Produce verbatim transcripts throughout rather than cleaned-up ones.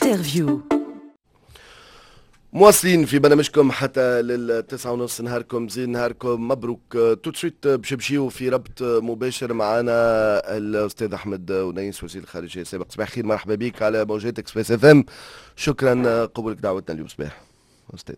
Interview. مواصلين في برنامجكم حتى للتسعة ونص. نهاركم زين، نهاركم مبروك. tout de suite باش نمشيو في ربط مباشر معنا الاستاذ احمد ونيس، وزير الخارجية السابق. صباح الخير، مرحبا بك على موجات Express FM. شكرا قبولك دعوتنا اليوم. صباح استاذ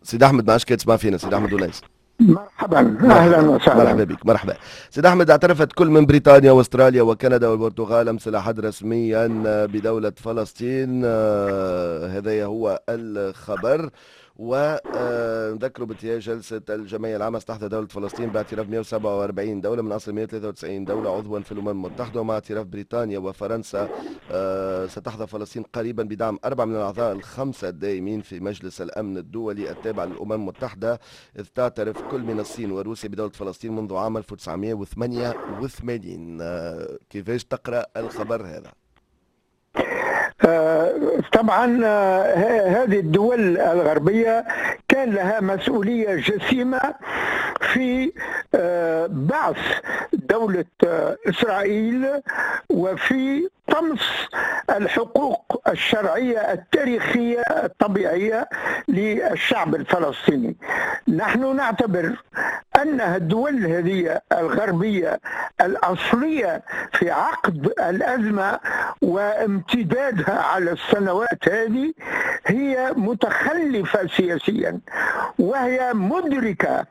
سيد احمد، ما عادش تسمع فينا سيد احمد ونيس؟ مرحبا، اهلا وسهلا. مرحبا بك، مرحبا سيد احمد. اعترفت كل من بريطانيا واستراليا وكندا والبرتغال امس الاحد رسميا بدولة فلسطين. آه، هذا هو الخبر. ونذكروا بانتهاء جلسة الجمعية العامة ستحظى دولة فلسطين باعتراف مئة وسبعة وأربعين دولة من أصل مئة وثلاثة وتسعين دولة عضوا في الأمم المتحدة. ومع اعتراف بريطانيا وفرنسا آه، ستحظى فلسطين قريبا بدعم أربعة من الأعضاء الخمسة الدائمين في مجلس الأمن الدولي التابع للأمم المتحدة، إذ تعترف كل من الصين وروسيا بدولة فلسطين منذ عام ألف وتسعمئة وثمانية وثمانين. آه، كيفاش تقرأ الخبر هذا؟ آه، طبعا آه، هذه الدول الغربية كان لها مسؤولية جسيمة في آه، بعث دولة إسرائيل وفي طمس الحقوق الشرعية التاريخية الطبيعية للشعب الفلسطيني. نحن نعتبر أن الدول هذه الغربية الأصلية في عقد الأزمة وامتدادها على السنوات هذه هي متخلفة سياسيا، وهي مدركة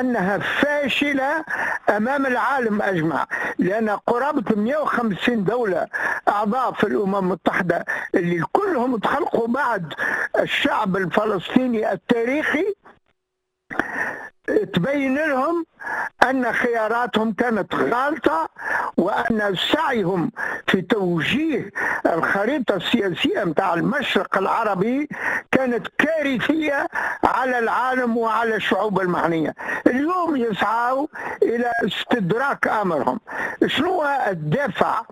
أنها فاشلة أمام العالم أجمع، لأن قرابة مئة وخمسين دولة أعضاء في الأمم المتحدة اللي كلهم تخلقوا بعد الشعب الفلسطيني التاريخي تبين لهم أن خياراتهم كانت غالطة، وأن سعيهم في توجيه الخريطة السياسية متاع المشرق العربي كانت كارثية على العالم وعلى الشعوب المعنية. اليوم يسعوا إلى استدراك أمرهم. شنو الدافع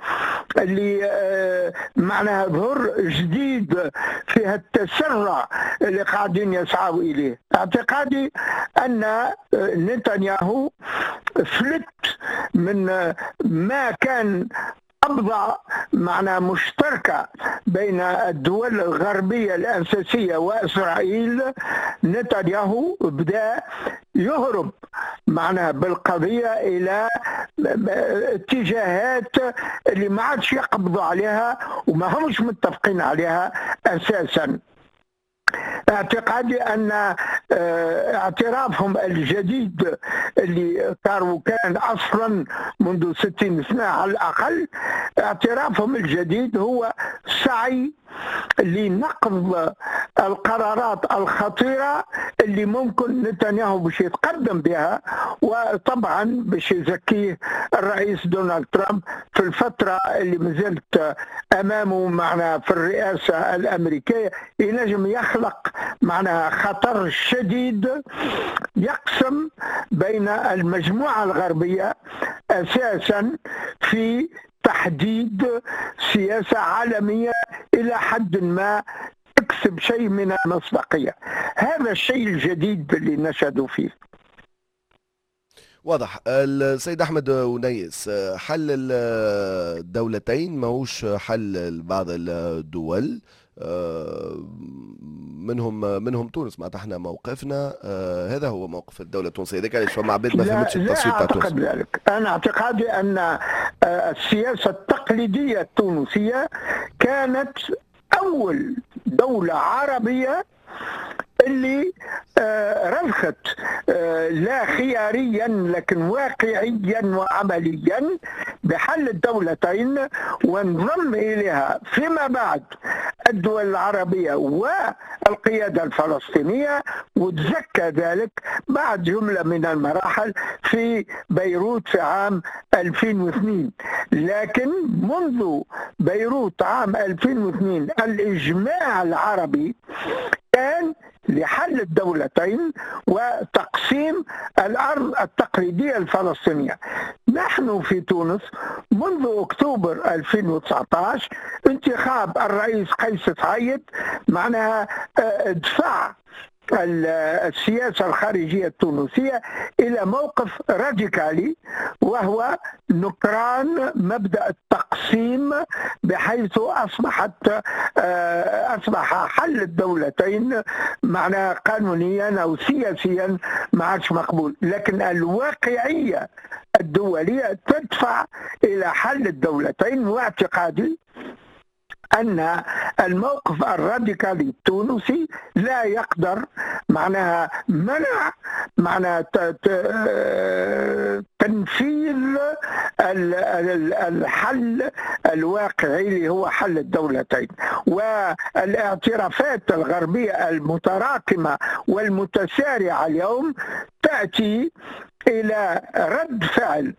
اللي آه، معناها ظهر جديد في التسرع اللي قاعدين يسعوا إليه؟ اعتقادي أن آه، نتنياهو فلت من ما كان قبضة معناها مشتركة بين الدول الغربية الأساسية وإسرائيل. نتنياهو بدأ يهرب معناها بالقضية إلى اتجاهات اللي ما عادش يقبضوا عليها وما همش متفقين عليها أساسا. اعتقادي ان آه، اعترافهم الجديد اللي كانوا كان اصلا منذ ستين سنة على الاقل، اعترافهم الجديد هو سعي لنقض القرارات الخطيرة اللي ممكن نتنياهو باش يتقدم بها، وطبعا باش يزكيه الرئيس دونالد ترامب في الفترة اللي مازالت امامه معنا في الرئاسة الامريكيه. ينجم يخلق معناها خطر شديد يقسم بين المجموعة الغربية اساسا في تحديد سياسة عالمية الى حد ما تكسب شيء من المصداقيه. هذا الشيء الجديد اللي نشهد فيه. واضح. السيد احمد ونيس، حل الدولتين ماهوش حل بعض الدول آه، منهم منهم تونس. معناتها احنا موقفنا آه، هذا هو موقف الدولة التونسيه. هذاك علاش فما عباد ما فهمتش التصويت تاع تونس. لا اعتقد ذلك. انا اعتقادي ان آه، السياسة التقليدية التونسية كانت اول دولة عربية اللي آه، رضخت آه، لا خياريا لكن واقعيا وعمليا بحل الدولتين، وانضم اليها فيما بعد الدول العربية والقيادة الفلسطينيه، وتزكى ذلك بعد جملة من المراحل في بيروت في عام ألفين واثنين. لكن منذ بيروت عام ألفين واثنين الاجماع العربي كان لحل الدولتين وتقسيم الارض التقليدية الفلسطينيه. نحن في تونس منذ اكتوبر ألفين وتسعة عشر انتخاب الرئيس قيس سعيد معناها آه، دفع السياسة الخارجية التونسية إلى موقف راديكالي، وهو نكران مبدأ التقسيم، بحيث أصبحت أصبح حل الدولتين معناها قانونيا أو سياسيا ما عادش مقبول. لكن الواقعية الدولية تدفع إلى حل الدولتين، واعتقادي أن الموقف الراديكالي التونسي لا يقدر معناها منع معناها تنفيذ الحل الواقعي اللي هو حل الدولتين. والاعترافات الغربية المتراكمة والمتسارعة اليوم تأتي إلى رد فعل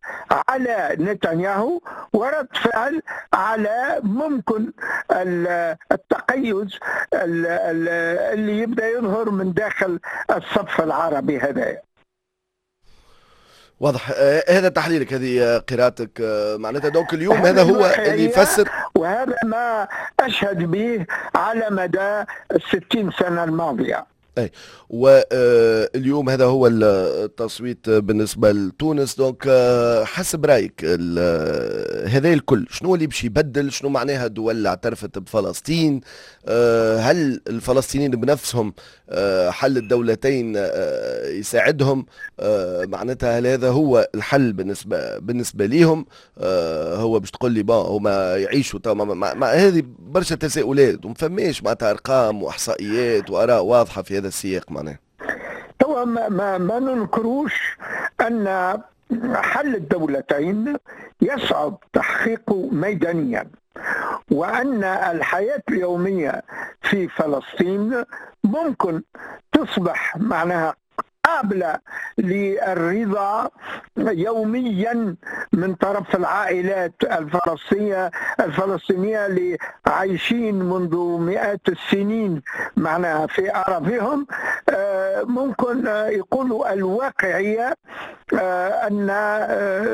على نتنياهو، ورد فعل على ممكن التقيز اللي يبدأ يظهر من داخل الصف العربي هذا. واضح هذا تحليلك، هذه قراءتك معناتها. donc اليوم هذا هو اللي يفسر، وهذا ما أشهد به على مدى الستين سنة الماضية. اي، واليوم هذا هو التصويت بالنسبة لتونس. donc حسب رايك هذا الكل شنو اللي باش يبدل؟ شنو معناها الدول اعترفت بفلسطين؟ هل الفلسطينيين بنفسهم حل الدولتين يساعدهم؟ معناتها هل هذا هو الحل بالنسبة بالنسبة ليهم؟ هو باش تقول لي bon هما يعيشوا ما هذه برشا تساؤلات وما فماش معناتها ارقام واحصائيات واراء واضحة في هذا السياق. معناه توا ما, ما, ما ننكروش أن حل الدولتين يصعب تحقيقه ميدانيا، وأن الحياة اليومية في فلسطين ممكن تصبح معناها قابلة للرضا يوميا من طرف العائلات الفلسطينية الفلسطينية اللي عايشين منذ مئات السنين معناها في أراضيهم. ممكن يقولوا الواقعية أن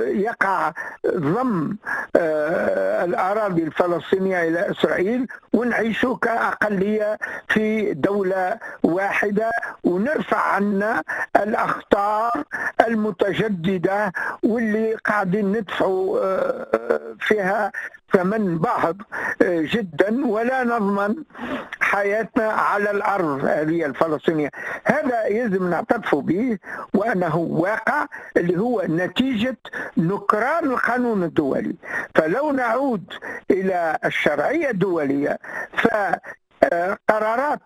يقع ضم الأراضي الفلسطينية إلى إسرائيل ونعيشوا كأقلية في دولة واحدة، ونرفع عنا الأخطار المتجددة واللي قاعدين ندفعوا فيها ثمن باهظ جدا، ولا نضمن حياتنا على الأرض هذه الفلسطينية. هذا يلزم نعترف به وأنه واقع اللي هو نتيجة نكران القانون الدولي. فلو نعود إلى الشرعية الدولية ف قرارات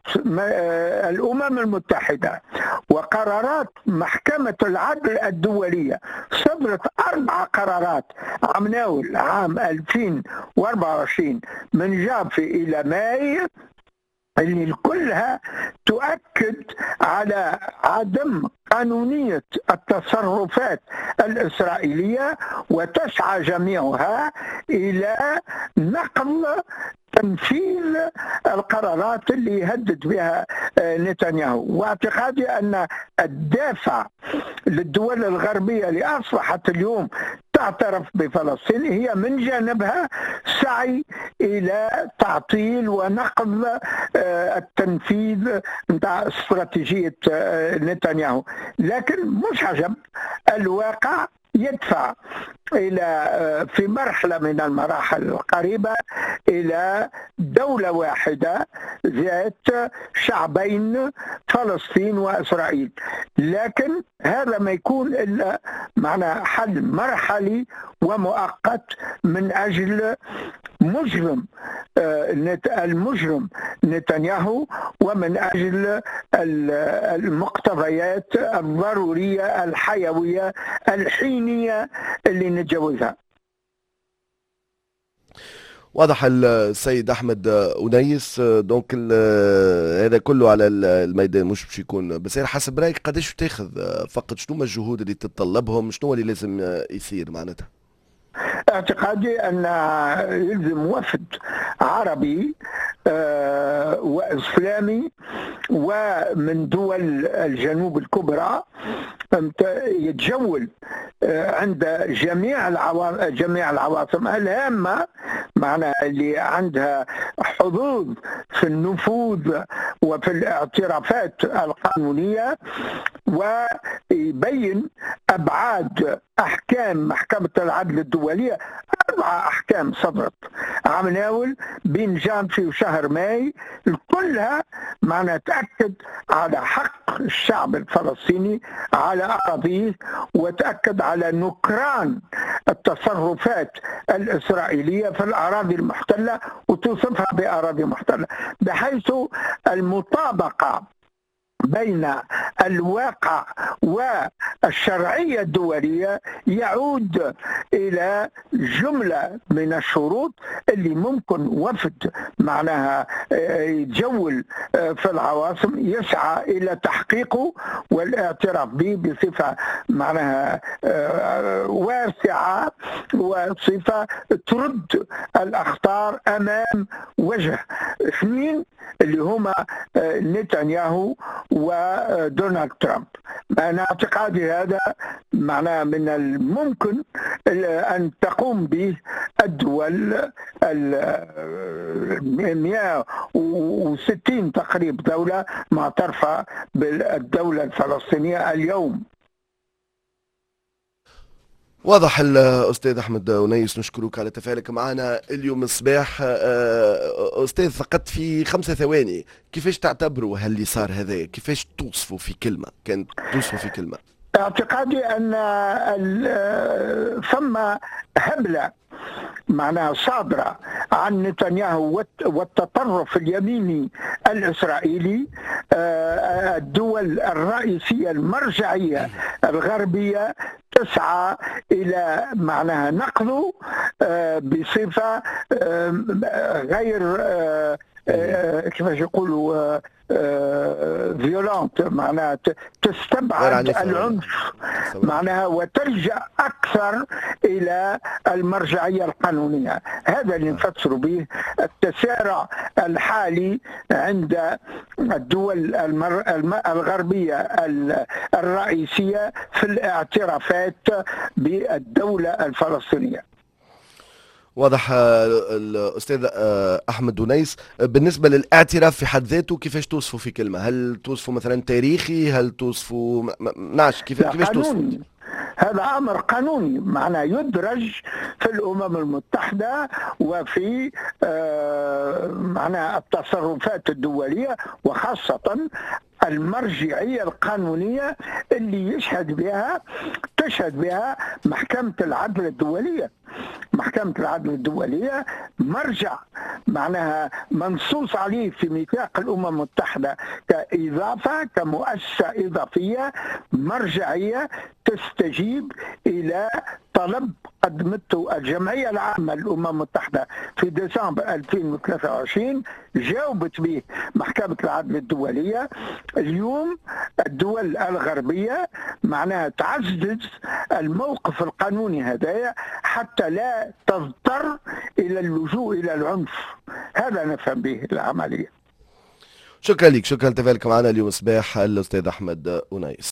الأمم المتحدة وقرارات محكمة العدل الدولية صدرت أربع قرارات عام ناول عام ألفين وأربعة وعشرين من جافي إلى ماي، اللي كلها تؤكد على عدم قانونية التصرفات الإسرائيلية، وتسعى جميعها إلى نقل تنفيذ القرارات اللي يهدد بها نتنياهو. واعتقادي أن الدافع للدول الغربية اللي أصبحت اليوم تعترف بفلسطين هي من جانبها سعي إلى تعطيل ونقض التنفيذ نتاع استراتيجية نتنياهو. لكن مش عجب، الواقع يدفع إلى في مرحلة من المراحل القريبة إلى دولة واحدة ذات شعبين، فلسطين وإسرائيل. لكن هذا ما يكون إلا معنى حل مرحلي ومؤقت من أجل مجرم المجرم نتنياهو، ومن أجل المقتضيات الضرورية الحيوية الحينية اللي نتجاوزها. واضح السيد احمد أنيس. donc هذا كله على الميدان مش باش يكون بس حسب رايك قداش تاخذ فقط؟ شنو ما الجهود اللي تتطلبهم؟ شنو اللي لازم يصير معناتها؟ اعتقادي أن يلزم وفد عربي وإسلامي ومن دول الجنوب الكبرى يتجول عند جميع جميع العواصم الهامة، معنا اللي عندها حظوظ في النفوذ وفي الاعترافات القانونية، ويبين أبعاد أحكام محكمة العدل الدولية. أربع أحكام صدرت عام ناول بين جانفي وشهر ماي، كلها معنا تأكد على حق الشعب الفلسطيني على أراضيه، وتأكد على نكران التصرفات الإسرائيلية في الأراضي المحتلة وتوصفها بأراضي محتلة، بحيث المطابقة بين الواقع والشرعية الدولية يعود إلى جملة من الشروط اللي ممكن وفد معناها يتجول في العواصم يسعى إلى تحقيقه والاعتراف به بصفة معناها واسعة وصفة ترد الأخطار أمام وجه اثنين اللي هما نتنياهو ودونالد ترامب. أنا اعتقادي هذا معناه من الممكن أن تقوم به الدول ال مئة وستين تقريبا دولة معترفة بالدولة الفلسطينية اليوم. واضح الأستاذ أحمد أنيس، نشكرك على تفاعلك معنا اليوم الصباح. أستاذ، فقط في خمسة ثواني، كيفاش تعتبروا هاللي صار هذا؟ كيفاش توصفوا في كلمة؟ كان توصفوا في كلمة. اعتقادي أن ثم هبلة معناها صادرة عن نتنياهو والتطرف اليميني الإسرائيلي. الدول الرئيسية المرجعية الغربية تسعى إلى معناها نقضه بصفة غير كيفاش يقولوا فيولانت، معناها تستبعد العنف معناها وتلجأ أكثر إلى المرجعية القانونية. هذا اللي نفسر به التسارع الحالي عند الدول المر... الغربية الرئيسية في الاعترافات بالدولة الفلسطينية. واضح الأستاذ أحمد أنيس. بالنسبة للاعتراف في حد ذاته كيفاش توصفه في كلمة؟ هل توصفه مثلا تاريخي؟ هل توصفه نعش كيف كيفاش توصفه؟ هذا أمر قانوني، معناه يدرج في الأمم المتحدة وفي معناه التصرفات الدولية، وخاصة المرجعية القانونية اللي يشهد بها تشهد بها محكمة العدل الدولية. محكمة العدل الدولية مرجع معناها منصوص عليه في ميثاق الأمم المتحدة كإضافة، كمؤسسة إضافية مرجعية تستجيب إلى طلب قدمته الجمعية العامة للأمم المتحدة في ديسمبر ألفين وثلاثة وعشرين، جاوبت به محكمة العدل الدولية. اليوم الدول الغربية معناها تعزز الموقف القانوني هذايا حتى لا تضطر إلى اللجوء إلى العنف. هذا نفهم به العملية. شكرا لك، شكرا لتفاعلك معنا اليوم صباح الأستاذ أحمد أنيس.